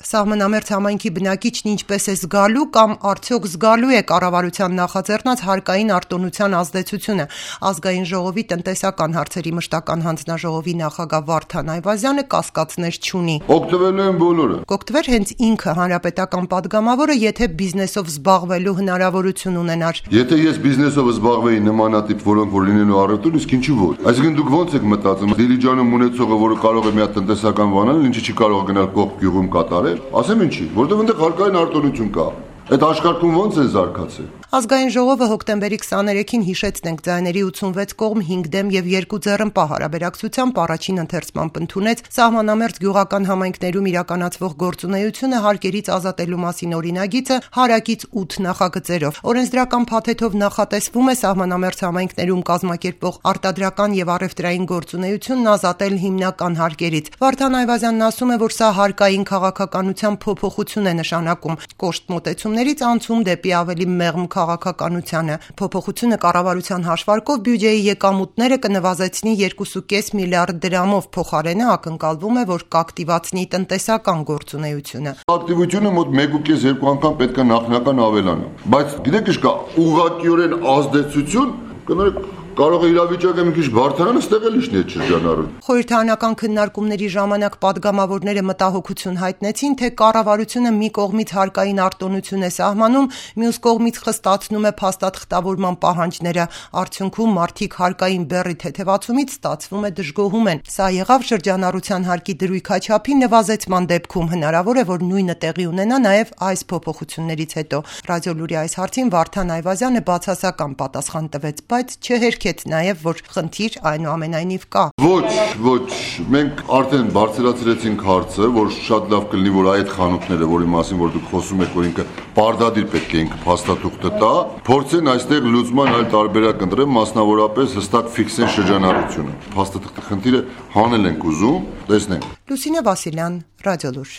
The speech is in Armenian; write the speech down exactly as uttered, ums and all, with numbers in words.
Սահմանամերձ համայնքի բնակիչն ինչպես է զգալու կամ արդյոք զգալու է կառավարության նախաձեռնած հարկային արտոնության ազդեցությունը։ Ազգային ժողովի տնտեսական հարցերի մշտական հանձնաժողովի նախագահ Վարդան Այվազյանը կասկածներ չունի։ Օգտվելու են բոլորը։ Կօգտվեր հենց ինքը հանրապետական падգամավորը, եթե բիզնեսով զբաղվելու հնարավորություն ունենար։ Եթե ես բիզնեսով զբաղվեի նմանատիպ, որոնք որ լինելու առօրյա, իսկ ինչու ոչ։ Այսինքն դուք ո՞նց եք մտածում, Դիլիջանում ունեցողը, որը կարող է մի հատ տնտեսական բան անել, ինչի չի կարող գնալ կողք գյուղում կատարել, ասեմ ինչի, որտեղ այնտեղ հարկային արտոնություն կա։ Այդ աշխարհում ո՞նց է զարգացել։ Ազգային ժողովը հոկտեմբերի քսաներեքին հիշեցնենք ձայների ութսունվեց կողմ հինգ դեմ եւ երկու ձեռնպահ հարաբերակցությամբ առաջին ընթերցմամբ ընդունեց սահմանամերձ գյուղական համայնքներում իրականացվող գործունեությունը հարկերից ազատելու մասին օրինագիծը հարակից ութ նախագծերով։ Օրենսդրական փաթեթով նախատեսվում է սահմանամերձ համայնքներում կազմակերպվող արտադրական եւ առևտրային գործունեությունն ազատել հիմնական հարկերից։ Վարդան Այվազյանն ասում է, որ սա հարկային քաղաքականության փոփոխություն է նշանակում։ Կոշտ մոտեցումներից անցում դեպի ավելի մեղմ քաղաքականությանը։ Փոփոխությունը կառավարության հաշվարկով բյուջեի եկամուտները կնվազեցնի երկու կόμμα պենս միլիարդ դրամով, փոխարենը ակնկալվում է, որ կակտիվացնի տնտեսական գործունեությունը։ Ակտիվությունը մոտ մեկ կόμμα պենս երկու անգամ պետք է նախնական ավելանա։ Բայց գիտեք ինչ կա, ուղղակիորեն ազդեցություն կներեք կարող է իրավիճակը մի քիչ բարդանալ, ստեղ էլ իշն է շրջանառում։ Խորհրդարանական քննարկումների ժամանակ падգամավորները մտահոգություն հայտնեցին, թե կառավարությունը մի կողմից հարկային արտոնություն է սահմանում, մյուս կողմից խստացնում է փաստաթղթավորման պահանջները։ Արդյունքում մարդիկ հարկային բեռի թեթևացումից ստացվում է դժգոհում են։ Սա եղավ շրջանառության հարկի դրույք հաչափի նվազեցման դեպքում, հնարավոր է, որ նույնը տեղի ունենա նաև այս փոփոխություններից հետո։ Ռադիոլուրի այս հարցին Վարդան Այվազյանը բացասական պատասխան տվեց, բայց չհերքեց նաև, որ խնդիր այնուամենայնիվ կա։ Ոչ, ոչ, մենք արդեն բարձրացրեցինք հարցը, որ շատ լավ կլինի, որ այդ խանութները, որի մասին որ դուք խոսում եք, որ ինքը պարտադիր պետք է ինքը փաստաթուղթը տա, փորձեն այստեղ լուծման այլ տարբերակ ընտրեն, մասնավորապես հստակ ֆիքսեն շրջանառությունը։ Փաստաթղթի խնդիրը հանել ենք ուզում, տեսնենք։ Լուսինե Վասիլյան, Ռադիոլուր։